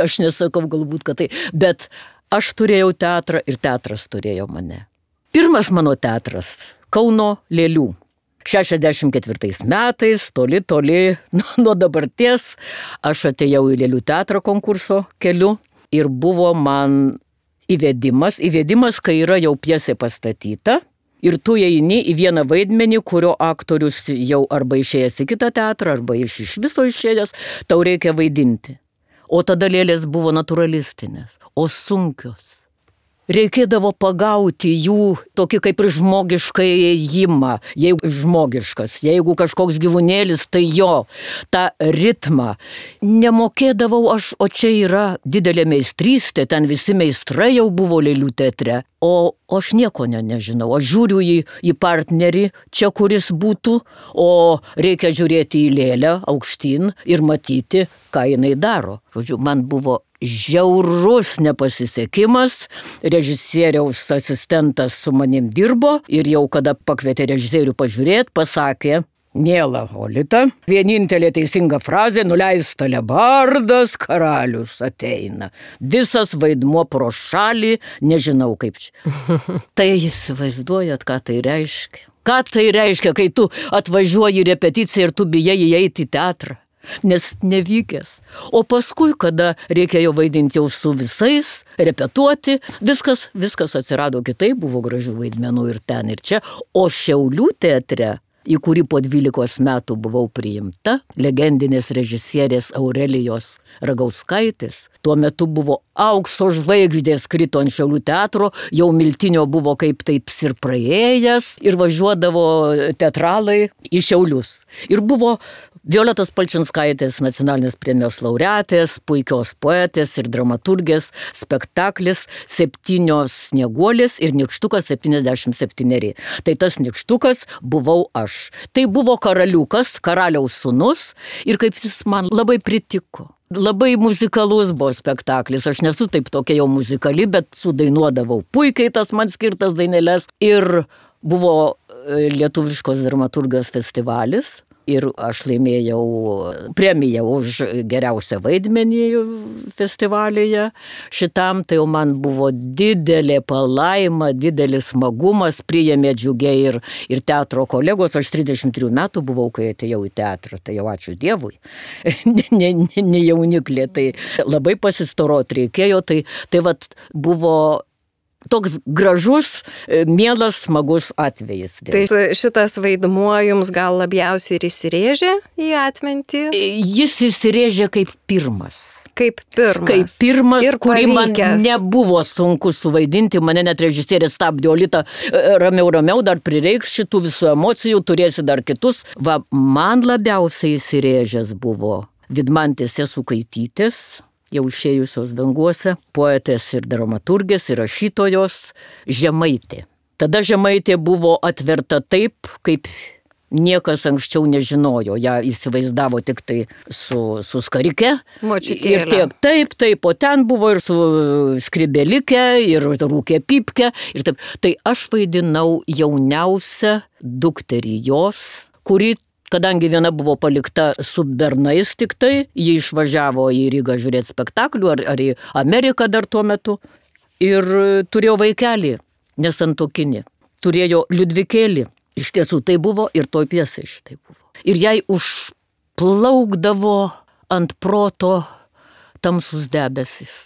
Aš nesakau galbūt, kad tai. Bet aš turėjau teatrą ir teatras turėjo mane. Pirmas mano teatras – Kauno Lėlių. šešiasdešimt ketvirtais metais, toli, toli nuo dabarties, aš atėjau į Lėlių teatro konkurso keliu ir buvo man įvedimas, įvedimas, kai yra jau pjesė pastatyta ir tu eini į vieną vaidmenį, kurio aktorius jau arba išėjęs į kitą teatrą, arba iš, iš viso išėjęs, tau reikia vaidinti. O tada lėlės buvo naturalistinės, o sunkios. Reikėdavo pagauti jų tokį kaip ir žmogišką ėjimą, jeigu žmogiškas, jeigu kažkoks gyvūnėlis, tai jo, tą ritmą. Nemokėdavau aš, o čia yra didelė meistrystė, ten visi meistrai jau buvo Lėlių teatre, o, o aš nieko ne, nežinau. Aš žiūriu į, į partnerį, čia kuris būtų, o reikia žiūrėti į lėlę aukštyn ir matyti, ką jinai daro. Žodžiu, man buvo žiaurus nepasisekimas, režisieriaus asistentas su manim dirbo ir jau kada pakvietė režisierių pažiūrėti, pasakė, Miela Olita, vienintelė teisinga frazė, nuleis talebardas, karalius ateina. Visas vaidmuo pro šalį, nežinau kaip čia. Tai įsivaizduojat, ką tai reiškia? Ką tai reiškia, kai tu atvažiuoji į repeticiją ir tu bijai įeiti į teatrą? Nes nevykęs. O paskui, kada reikėjo vaidinti jau su visais, repetuoti, viskas, viskas atsirado kitaip, buvo gražių vaidmenų ir ten ir čia. O Šiaulių teatre, į kurį po dvylikos metų buvau priimta, legendinės režisierės Aurelijos Ragauskaitės. Tuo metu buvo aukso žvaigždės krito ant Šiaulių teatro, jau Miltinio buvo kaip taip ir praėjęs ir važiuodavo teatralai į Šiaulius. Ir buvo Violetos Palčinskaitės nacionalinės premijos laureatės, puikios poetės ir dramaturgės spektaklis Septynios snieguolės ir Nykštukas septyniasdešimt septyneri. Tai tas Nykštukas buvau aš. Tai buvo karaliukas, karaliaus sūnus ir kaip jis man labai pritiko. Labai muzikalus buvo spektaklis, aš nesu taip tokia jau muzikali, bet sudainuodavau puikiai tas man skirtas daineles ir buvo lietuviškos dramaturgijos festivalis. Ir aš laimėjau premiją už geriausią vaidmenį festivalyje. Šitam tai jau man buvo didelė palaima, didelis smagumas, priėmė džiugiai ir, ir teatro kolegos. Aš trisdešimt trijų metų buvau, kai atėjau į teatrą, tai jau ačiū Dievui. ne, ne, ne jauniklė, tai labai pasistorot reikėjo, tai, tai vat buvo toks gražus, mielas, smagus atvejis. Tai šitas vaidmuo jums gal labiausiai ir įsirėžė į atmintį? Jis įsirėžė kaip pirmas. Kaip pirmas. Kaip pirmas, ir kurį man pavykęs. Nebuvo sunku suvaidinti, mane net režisierė stabdė, Olita, ramiau, ramiau, dar prireiks šitų visų emocijų, turėsi dar kitus. Va, man labiausiai įsirėžęs buvo Vidmantės Jasukaitytės, jau išėjusios danguose, poetės ir dramaturgės ir rašytojos Žemaitė. Tada Žemaitė buvo atverta taip, kaip niekas anksčiau nežinojo. Ja įsivaizdavo tik tai su, su skarike. Močiutėlė. Ir tiek, taip, taip, o ten buvo ir su skribelike, ir rūkė pipke. Ir taip. Tai aš vaidinau jauniausią dukterį jos, kuri, kadangi viena buvo palikta su bernais tik tai, ji išvažiavo į Rygą žiūrėti spektaklių, ar, ar į Ameriką dar tuo metu. Ir turėjo vaikelį, nesantuokinį. Turėjo Liudvikėlį. Iš tiesų tai buvo ir toj pjesai šitai buvo. Ir jai užplaukdavo ant proto tamsus debesis.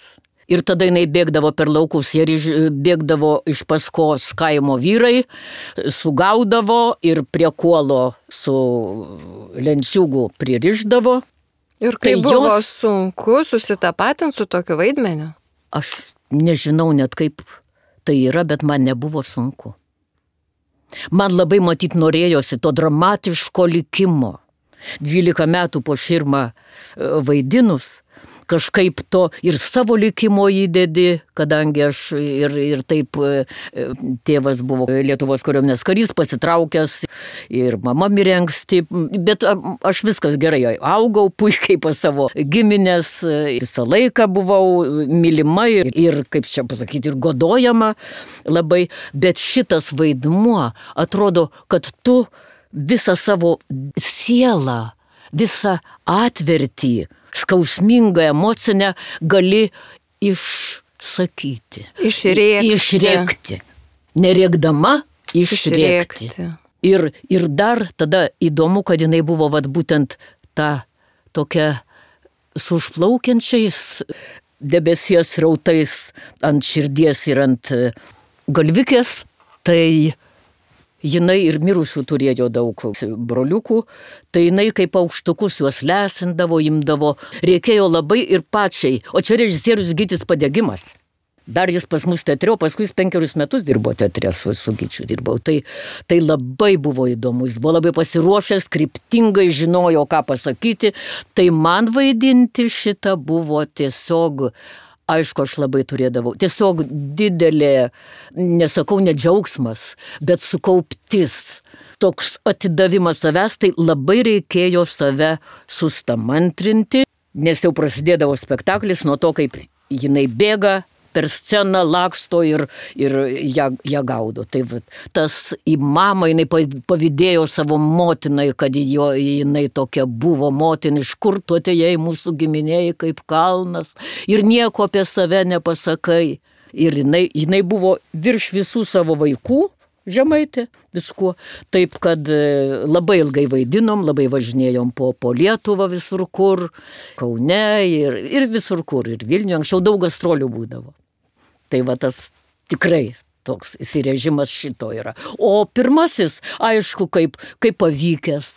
Ir tada jinai bėgdavo per laukus, ir bėgdavo iš paskos kaimo vyrai, sugaudavo ir prie kuolo su lenciūgu pririšdavo. Ir kai tai buvo jos... sunku susitapatinti su tokiu vaidmeniu? Aš nežinau net kaip tai yra, bet man nebuvo sunku. Man labai matyt norėjosi to dramatiško likimo. Dvylika metų po Širmą vaidinus, kažkaip to ir savo likimo įdedi, kadangi aš ir, ir taip tėvas buvo Lietuvos kariuomenės karys, pasitraukęs ir mama mirė anksti, bet aš viskas gerai augau, puikiai pas savo giminės, visą laiką buvau mylima ir, ir kaip čia pasakyti, ir godojama labai, bet šitas vaidmuo atrodo, kad tu visą savo sielą, visą atvertį, skausmingą emocinę gali išsakyti. Išrėkti. Išrėkti. Nerėkdama, išrėkti. išrėkti. Ir, ir dar tada įdomu, kad jinai buvo vat, būtent ta tokia su užplaukiančiais debesies rautais ant širdies ir ant galvikės, tai jinai ir mirusių turėjo daug broliukų, tai jinai kaip aukštukus juos lesindavo, imdavo, reikėjo labai ir pačiai, o čia režisierius Gytis Padegimas. Dar jis pas mus teatre, o paskui jis penkerius metus dirbo teatre, su, su Gyčiu dirbau. Tai, tai labai buvo įdomu, jis buvo labai pasiruošęs, kryptingai žinojo, ką pasakyti, tai man vaidinti šitą buvo tiesiog... Aišku, aš labai turėdavau. Tiesiog didelė, nesakau, ne džiaugsmas, bet sukauptis. Toks atidavimas savęs, tai labai reikėjo save sustamantrinti, nes jau prasidėdavo spektaklis nuo to, kaip jinai bėga per sceną laksto ir, ir ją, ją gaudo. Tai va, tas į mamą jinai pavydėjo savo motinai, kad jo, jinai tokia buvo motina, iš kur tu atėjai mūsų giminėjai kaip kalnas ir nieko apie save nepasakai. Ir jinai, jinai buvo virš visų savo vaikų, Žemaitė, viskuo. Taip, kad labai ilgai vaidinom, labai važinėjom po, po Lietuvą visur kur, Kaune ir, ir visur kur, ir Vilniuje. Anksčiau daug gastrolių būdavo. Tai va tas tikrai toks įsirežimas šito yra. O pirmasis, aišku, kaip, kaip pavykęs.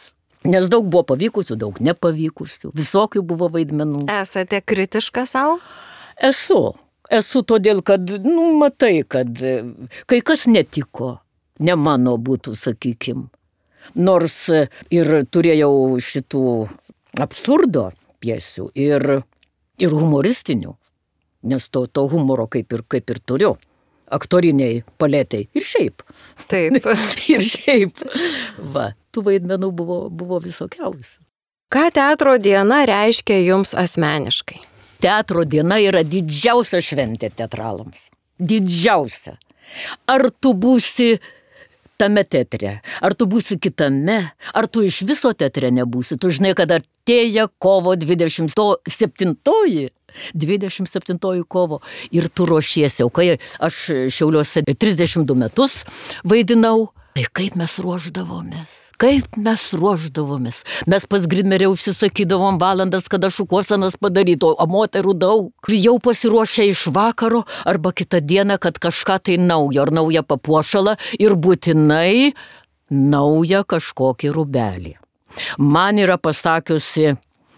Nes daug buvo pavykusių, daug nepavykusių. Visokių buvo vaidmenų. Esate kritiška savo? Esu. Esu todėl, kad, nu, matai, kad kai kas netiko. Ne mano būtų, sakykim. Nors ir turėjau šitų absurdo pjesių ir, ir humoristinių, nes to, to humoro kaip ir, kaip ir turiu. Aktoriniai palėtai ir šiaip. Taip. ir šiaip. Va, tų vaidmenų buvo, buvo visokiausių. Ką teatro diena reiškia jums asmeniškai? Teatro diena yra didžiausia šventė teatralams. Didžiausia. Ar tu būsi tame teatre, ar tu būsi kitame, ar tu iš viso teatre nebūsi. Tu žinai, kad artėja kovo dvidešimt septintoji. dvidešimt septintoji kovo. Ir tu ruošiesi. O kai aš Šiauliuose trisdešimt du metus vaidinau, tai kaip mes ruošdavomės. Kaip mes ruošdavomės. Mes pas grimerę užsisakydavom valandas, kada šukuosenas padaryto, o moterų daug. Jau pasiruošę iš vakaro arba kitą dieną, kad kažką tai naujo ar naują papuošalą ir būtinai naują kažkokį rūbelį. Man yra pasakiusi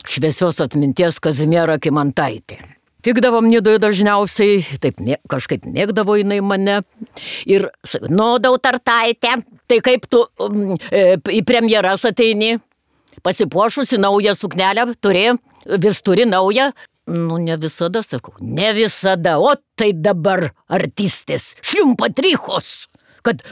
šviesios atminties Kazimiera Kymantaitė. Tikdavom Nidoje dažniausiai, taip mė, kažkaip mėgdavo jinai mane. Ir, nu, Dautartaitė, tai kaip tu um, e, į premjeras ateini, pasipuošusi naują suknelę, turi, vis turi naują. Nu, ne visada, sakau, ne visada, o tai dabar artistės, šliumpatrichos, kad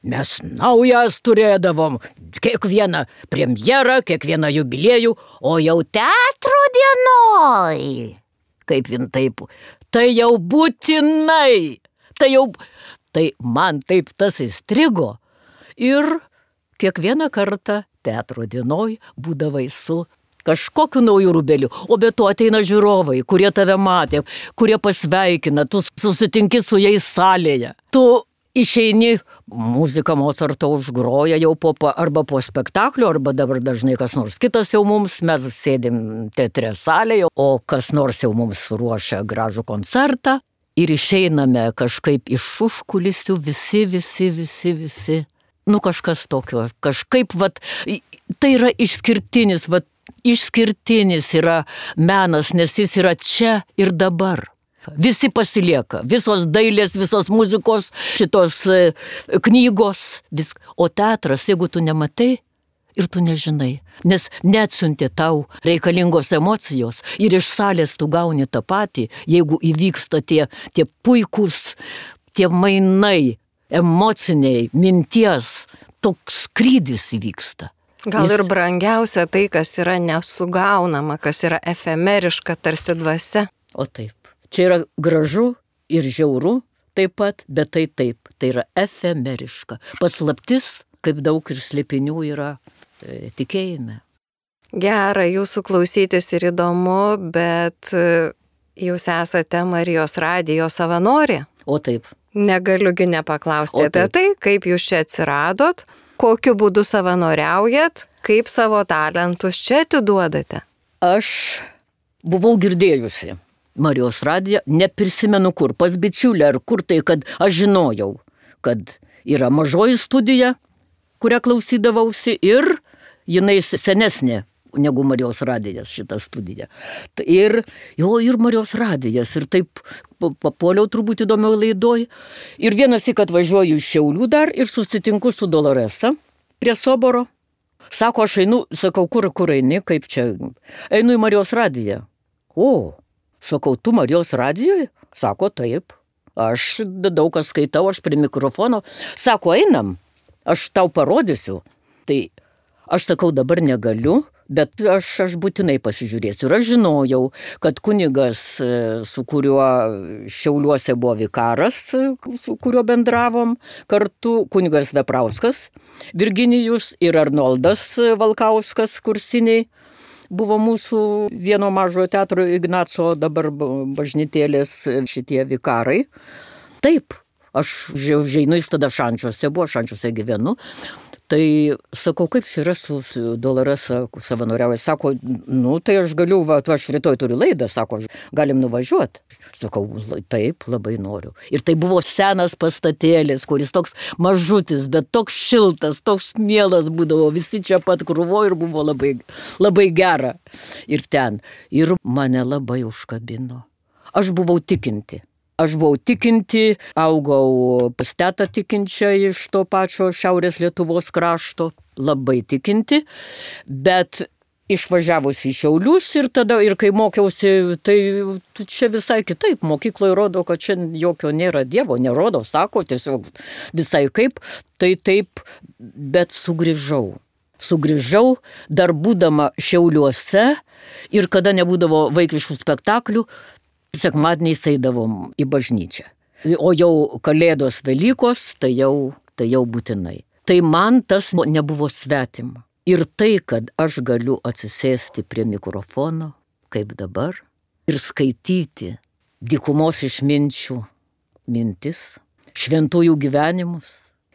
mes naujas turėdavom, kiekvieną premjerą, kiekvieną jubiliejų, o jau teatro dienoj. Kaip vien taip, tai jau būtinai, tai jau, tai man taip tas įstrigo. Ir kiekvieną kartą teatro dienoj būdavai su kažkokiu naujų rūbeliu, o be to ateina žiūrovai, kurie tave matė, kurie pasveikina, tu susitinki su jais salėje. Tu išeini, muzika Mozarto užgroja jau po, arba po spektaklio, arba dabar dažnai kas nors kitas jau mums, mes sėdim teatre salėje, o kas nors jau mums ruošia gražų koncertą ir išeiname kažkaip iš užkulisių visi, visi, visi, visi. Nu kažkas tokio, kažkaip, vat, tai yra išskirtinis, vat, išskirtinis yra menas, nes jis yra čia ir dabar. Visi pasilieka, visos dailės, visos muzikos, šitos e, knygos, vis. O teatras, jeigu tu nematai ir tu nežinai, nes neatsiuntė tau reikalingos emocijos ir iš salės tu gauni tą patį, jeigu įvyksta tie, tie puikūs, tie mainai, emociniai, minties, toks skrydis įvyksta. Gal ir brangiausia tai, kas yra nesugaunama, kas yra efemeriška, tarsi dvasia. O taip. Čia yra gražu ir žiauru taip pat, bet tai taip, tai yra efemeriška. Paslaptis, kaip daug ir slėpinių yra e, tikėjime. Gera jūsų klausytis ir įdomu, bet jūs esate Marijos radijo savanorė. O taip. Negaliugi nepaklausti apie tai, kaip jūs čia atsiradot, kokiu būdu savanoriaujat, kaip savo talentus čia atiduodate. Aš buvau girdėjusi Marijos radiją, neprisimenu kur, pas bičiulę ar kur tai, kad aš žinojau, kad yra mažoji studija, kurią klausydavausi ir jinai senesnė negu Marijos radijas šitą studiją. Ir jo, ir Marijos radijas, ir taip papuoliau turbūt įdomiau laidoj. Ir vienas tik atvažiuoju iš Šiaulių dar ir susitinku su Doloresa prie Soboro. Sako, aš einu, sakau, kur, kur eini, kaip čia, einu į Marijos radiją. O, sakau, tu Marijos radijoje? Sako, taip. Aš daug ką skaitau, aš prie mikrofono. Sako, einam, aš tau parodysiu. Tai aš sakau, dabar negaliu, Bet aš, aš būtinai pasižiūrėsiu. Ir aš žinojau, kad kunigas, su kuriuo Šiauliuose buvo vikaras, su kuriuo bendravom kartu, kunigas Veprauskas, Virginijus ir Arnoldas Valkauskas kursiniai, buvo mūsų vieno mažojo teatro Ignaco dabar bažnytėlės šitie vikarai. Taip, aš žeinu į tada Šančiuose, buvo Šančiuose gyvenu. Tai sakau, kaip čia yra su Doloresa savanoriauja. Sako, nu tai aš galiu, va, tu aš rytoj turiu laidą, sako, galim nuvažiuoti. Sakau, taip, labai noriu. Ir tai buvo senas pastatėlis, kuris toks mažutis, bet toks šiltas, toks mielas būdavo, visi čia pat krūvo ir buvo labai, labai gera. Ir ten. Ir mane labai užkabino. Aš buvau tikinti. Aš buvau tikinti, augau pas tetą tikinčią iš to pačio Šiaurės Lietuvos krašto, labai tikinti, bet išvažiavus į Šiaulius ir tada, ir kai mokiausi, tai čia visai kitaip, mokykloje rodo, kad čia jokio nėra Dievo, nerodo, sako, tiesiog visai kaip, tai taip, bet sugrįžau. Sugrįžau, dar būdama Šiauliuose ir kada nebūdavo vaikiškų spektaklių, sekmadieniais eidavom į bažnyčią. O jau Kalėdos Velykos, tai jau, tai jau būtinai. Tai man tas nebuvo svetima. Ir tai, kad aš galiu atsisėsti prie mikrofono, kaip dabar, ir skaityti dykumos išminčių mintis, šventųjų gyvenimus,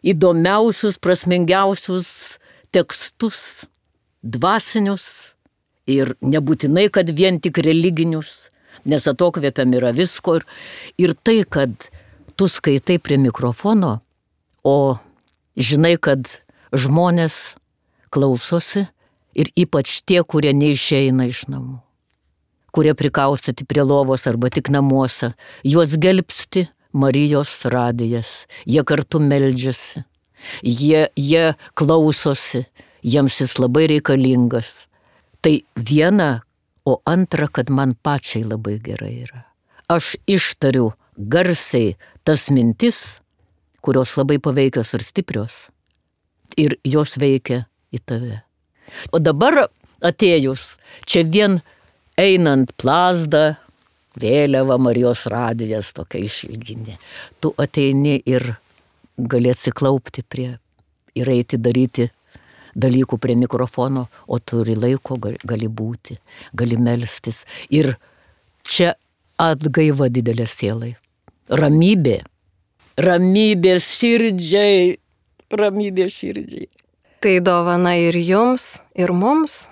įdomiausius, prasmingiausius tekstus, dvasinius ir nebūtinai, kad vien tik religinius, nes atokvėpiam yra visko ir, ir tai, kad tu skaitai prie mikrofono, o žinai, kad žmonės klausosi ir ypač tie, kurie neišeina iš namų, kurie prikaustyti prie lovos arba tik namuose, juos gelbsti Marijos radijas, jie kartu meldžiasi, jie, jie klausosi, jiems jis labai reikalingas. Tai viena, o antra, kad man pačiai labai gerai yra. Aš ištariu garsiai tas mintis, kurios labai paveikios ir stiprios, ir jos veikia į tave. O dabar atėjus, čia vien einant plazdą, vėliava Marijos radijas tokia išilginė, tu ateini ir gali atsiklaupti prie ir eiti daryti dalykų prie mikrofono, o turi laiko, gali būti, gali melstis. Ir čia atgaiva didelė sielai. Ramybė. Ramybė širdžiai. Ramybė širdžiai. Tai dovana ir jums, ir mums.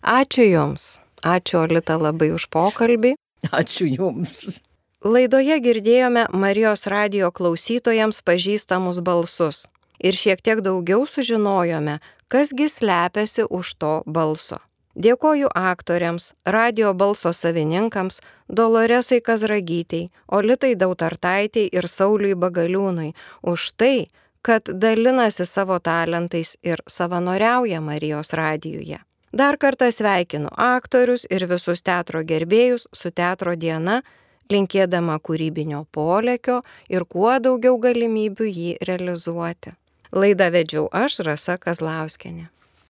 Ačiū jums. Ačiū, Olita, labai už pokalbį. Ačiū jums. Laidoje girdėjome Marijos radijo klausytojams pažįstamus balsus. Ir šiek tiek daugiau sužinojome, kasgi slepiasi už to balso. Dėkoju aktoriams, radio balso savininkams, Doloresai Kazragytei, Olitai Dautartaitei ir Sauliui Bagaliūnui už tai, kad dalinasi savo talentais ir savanoriauja Marijos radijuje. Dar kartą sveikinu aktorius ir visus teatro gerbėjus su Teatro diena, linkėdama kūrybinio polėkio ir kuo daugiau galimybių jį realizuoti. Laidą vedžiau aš, Rasa Kazlauskienė.